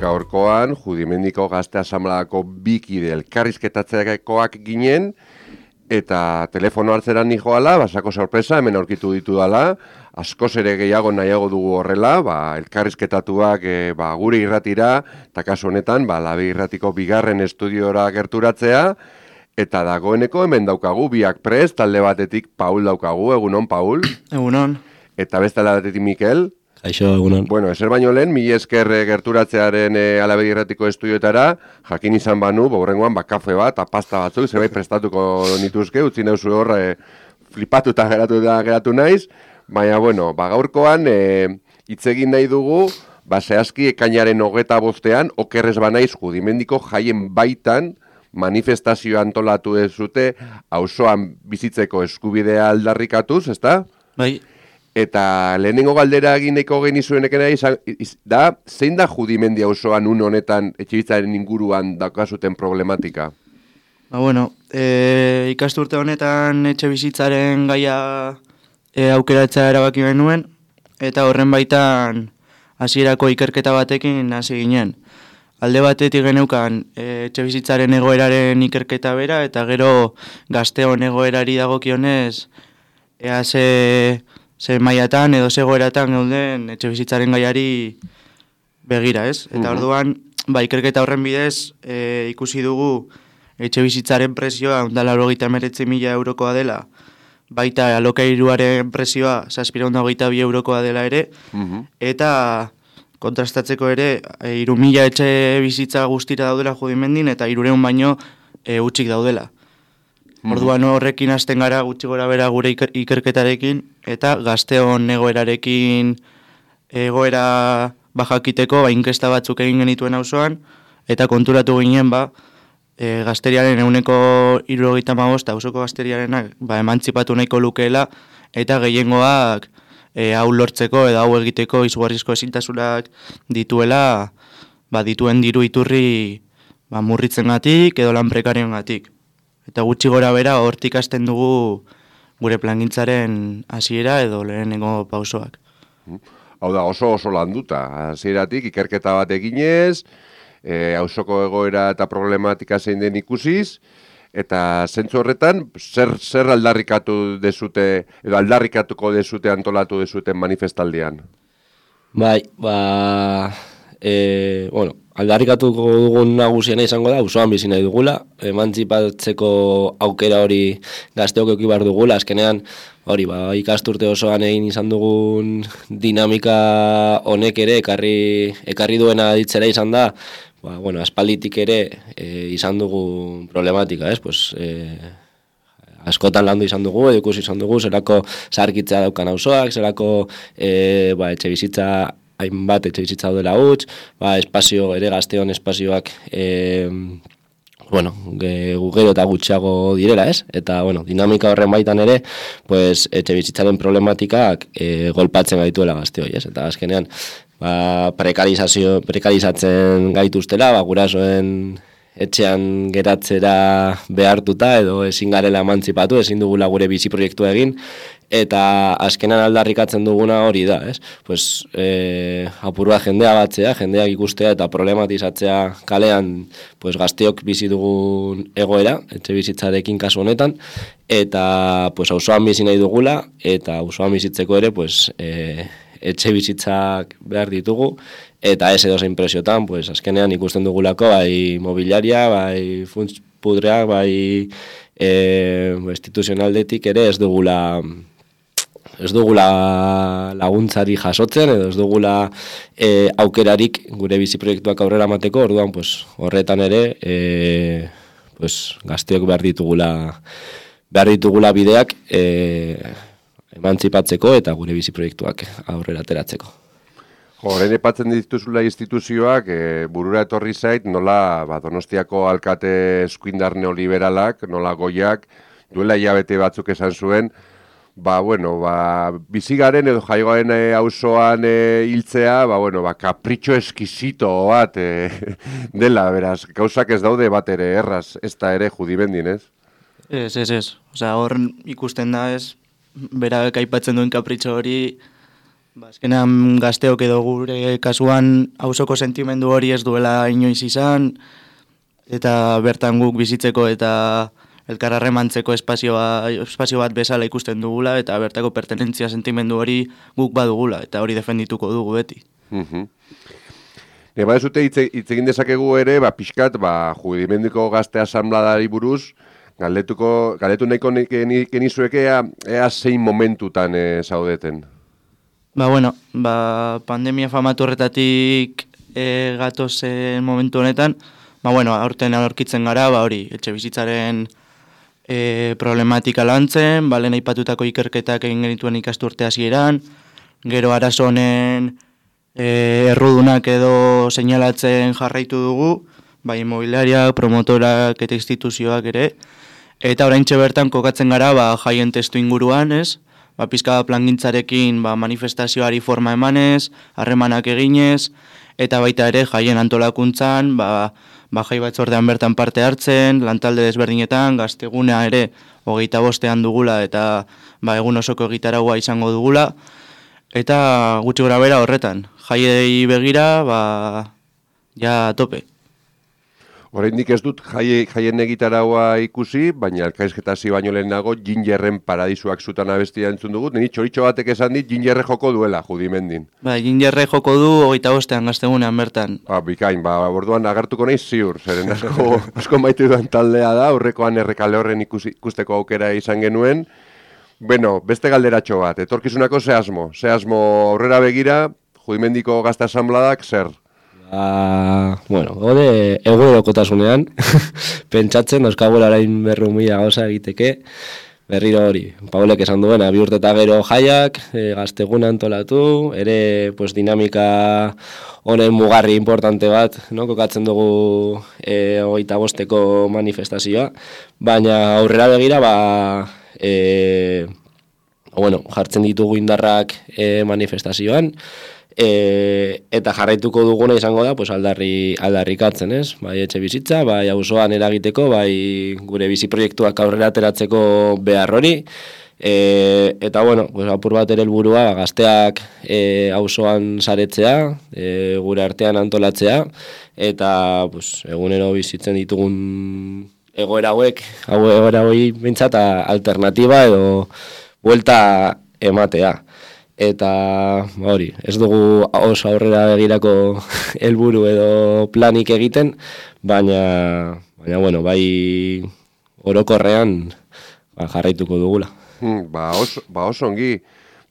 gaurkoan Judimendiko Gazte Asanbladako bikide elkarrizketatzeakoak ginen, eta telefono hartzeran nijoala, basako sorpresa, hemen aurkitu ditu dala, askoz ere gehiago nahiago dugu horrela, elkarrizketatuak gure irratira, eta kasu honetan, Labe Irratiko bigarren estudiora gerturatzea, eta dagoeneko hemen daukagu, biak prest, talde batetik Paul daukagu, egunon, Paul? Egunon. Eta beste talde batetik Mikel? Kaixo, egunon. Bueno, ezer baino lehen, mila esker gerturatzearen Alabe Irratiko estudioetara, jakin izan banu, horrengoan kafe bat, pasta batzuk, zerbait prestatuko nituzke, utzi neuzu hor, flipatuta geratu naiz, baina, bueno, gaurkoan, hitz egin nahi dugu, zehazki ekainaren 25ean, okerrez banaiz Judimendiko jaien baitan, manifestazioa antolatu dezute, auzoan bizitzeko eskubidea aldarrikatuz, ezta? Bai. Eta lehenengo galdera egineko genizueneken da, zein da Judimendi auzoan une honetan etxebizitzaren inguruan daukazuten problematika? Bueno, ikasturte honetan etxebizitzaren gaia aukeratzea erabaki genuen, eta horren baitan hasierako ikerketa batekin hasi ginen. Alde batetik geneukan etxebizitzaren egoeraren ikerketa bera, eta gero gazteon egoerari dagokionez, ea ze mailatan edo ze egoeratan gauden etxebizitzaren gaiari begira, ez? Eta orduan, ikerketa horren bidez, ikusi dugu etxebizitzaren presioa 189.000 eurokoa dela, baita alokairuaren presioa 722 eurokoa dela ere, eta kontrastatzeko ere, 3.000 etxe bizitza guztira daudela Judimendin, eta 300 baino utzik daudela. Orduan horrekin hasten gara gutxi gora bera gure ikerketarekin, eta gazteon egoerarekin egoera bajakiteko inkesta batzuk egin genituen auzoan, eta konturatu ginen gazteriaren 75% auzoko gazteriarenak emantzipatu nahiko lukeela, eta gehiengoak hau lortzeko edo hau egiteko izugarrizko ezintasunak dituela, dituen diru iturri murritzengatik edo lan prekarioengatik. Eta gutxi gora bera hortik hasten dugu gure plangintzaren hasiera edo lehenengo pausoak. Hau da, oso landuta. Hasieratik ikerketa bat eginez, auzoko egoera eta problematika zein den ikusiz, eta zentzu horretan, zer aldarrikatu dezute, edo aldarrikatuko dezute antolatu dezuten manifestaldian? Aldarrikatuko dugun nagusiena izango da, auzoan bizi nahi dugula, emantzipatzeko aukera hori gazteok eduki behar dugula, azkenean, ikasturte osoan egin izan dugun dinamika honek ere ekarri duena ditzera izan da, aspalditik ere izan dugu problematika, askotan landu izan dugu, edukusi izan dugu, zerako zaharkitzea daukan auzoak, zerako etxe bizitza hainbat etxe bizitza daudela huts, espazio ere gazteon espazioak gero eta gutxiago direla, ez? Eta, dinamika horren baitan ere, etxe bizitzaren problematikak golpatzen gaituela gazteoi, ez? Eta azkenean, prekarizatzen gaituztela, gurasoen etxean geratzera behartuta edo ezin garela emantzipatu, ezin dugula gure bizi proiektua egin, eta azkenan aldarrikatzen duguna hori da, ez? Apurua jendea batzea, jendeak ikustea eta problematizatzea kalean gazteok bizi dugun egoera, etxe bizitzarekin kasu honetan, eta auzoan bizi nahi dugula, eta auzoan bizitzeko ere etxe bizitzak behar ditugu, eta ez edozein presiotan, azkenean ikusten dugulako, mobiliaria, funts pudreak, instituzionaldetik ere ez dugula laguntzari jasotzen, edo ez dugula aukerarik gure bizi proiektuak aurrera mateko, orduan horretan ere gazteok behar ditugula bideak emantzipatzeko eta gure bizi proiektuak aurrera ateratzeko. Horren epatzen dituzula instituzioak, burura etorri zait, nola Donostiako alkate eskuindar neoliberalak, nola Goiak, duela hilabete batzuk esan zuen, bizigaren edo jaioaren auzoan hiltzea, kapritxo eskizito bat dela, beraz, gauzak ez daude bat ere erraz, ez da ere Judimendin, ez? Ez. Hor ikusten da ez, berak aipatzen duen kapritxo hori, Azkenean gazteok edo gure kasuan auzoko sentimendu hori ez duela inoiz izan, eta bertan guk bizitzeko eta elkarrarremantzeko espazio bat bezala ikusten dugula, eta bertako pertenentzia sentimendu hori guk badugula, eta hori defendituko dugu beti. Badezute hitz egin dezakegu ere, pixkat, Judimendiko Gazte Asanbladari buruz, galdetu nahiko genizueke ea zein momentutan zaudeten. Pandemia famatu horretatik gatozen momentu honetan, aurten aurkitzen gara, hori, etxe bizitzaren problematika lantzen, lehen aipatutako ikerketak egin genituen ikasturte hasieran, gero arazo honen errudunak edo seinalatzen jarraitu dugu, bai inmobiliariak, promotorak eta instituzioak ere, eta oraintxe bertan kokatzen gara jaien testu inguruan, ez? Pizka plangintzarekin manifestazioari forma emanez, harremanak eginez, eta baita ere jaien antolakuntzan, jai batzordean bertan parte hartzen, lantalde desberdinetan, gaztegunea ere 25ean dugula eta egun osoko egitaraua izango dugula, eta gutxi gora bera horretan, jaiei begira, ja tope. Oraindik ez dut jaien egitaraua ikusi, baina elkarrizketasi baino lehenago Gingerren Paradisuak zutan abestia entzun dugu. Nini txoritxo batek esan dit Gingerre joko duela Judimendin. Gingerre joko du 25ean gaztegunean bertan. Bikain, orduan agertuko nahi ziur, zeren asko maite duan taldea da, aurrekoan Errekale Horren ikusteko aukera izan genuen. Beste galderatxo bat, etorkizunako ze asmo aurrera begira, Judimendiko Gazte Asanbladak zer? Gode egunerokotasunean, pentsatzen, dauzkagula orain 200.000 gauza egiteke, berriro hori, Paulek esan duena, 2 urte eta gero jaiak, gazteguna antolatu, ere dinamika honen mugarri importante bat, kokatzen dugu 25eko manifestazioa, baina aurrera begira, jartzen ditugu indarrak manifestazioan, eta jarraituko duguna izango da aldarrikatzen, ez? Bai etxe bizitza, bai auzoan eragiteko, bai gure bizi proiektuak aurrera ateratzeko behar hori, eta apur bat ere helburua gazteak auzoan saretzea, gure artean antolatzea, eta egunero bizitzen ditugun egoera hauei behintzat alternatiba edo buelta ematea. Eta hori, ez dugu oso aurrera begirako helburu edo planik egiten, baina bai orokorrean jarraituko dugula. Oso ongi,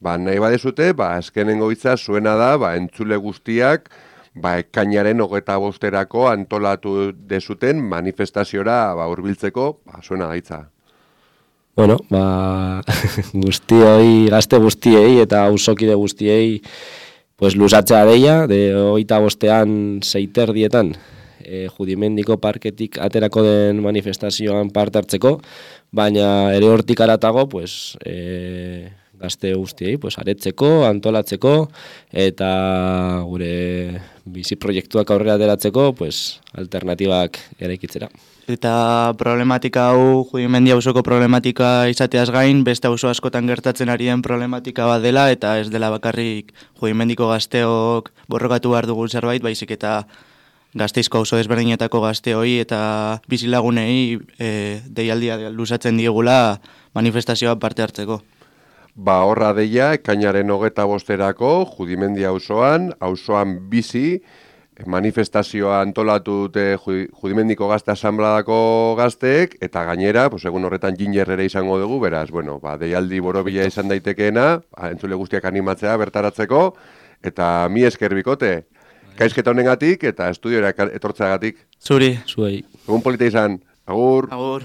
nahi badezute, azkenengo hitza zuena da, entzule guztiak, ekainaren 25erako antolatu dezuten manifestaziora hurbiltzeko, zuena gaitza. Guztioi, gazte guztiei eta auzokide guztiei luzatzea deia, 25ean 6:30 Judimendiko parketik aterako den manifestazioan parte hartzeko, baina ere hortik aratago gazte guztiei aretzeko, antolatzeko eta gure bizi proiektuak aurrera ateratzeko alternatibak eraikitzera. Eta problematika hau, Judimendi auzoko problematika izateaz gain, beste auzo askotan gertatzen ari den problematika bat dela, eta ez dela bakarrik Judimendiko gazteok borrokatu behar dugun zerbait, baizik eta Gasteizko auzo desberdinetako gazteoi eta bizilagunei deialdia luzatzen diegula manifestazioa parte hartzeko. Horra deia, ekainaren 25erako Judimendi auzoan bizi, manifestazioa antolatu dute Judimendiko Gazte Asanbladako gazteek, eta gainera, egun horretan Ginger ere izango dugu, beraz, deialdi borobila izan daitekeena, entzule guztiak animatzea bertaratzeko, eta mi esker bikote, gaizketa honengatik eta estudiora etortzeagatik. Zuri. Zuei. Egun polita izan. Agur. Agur.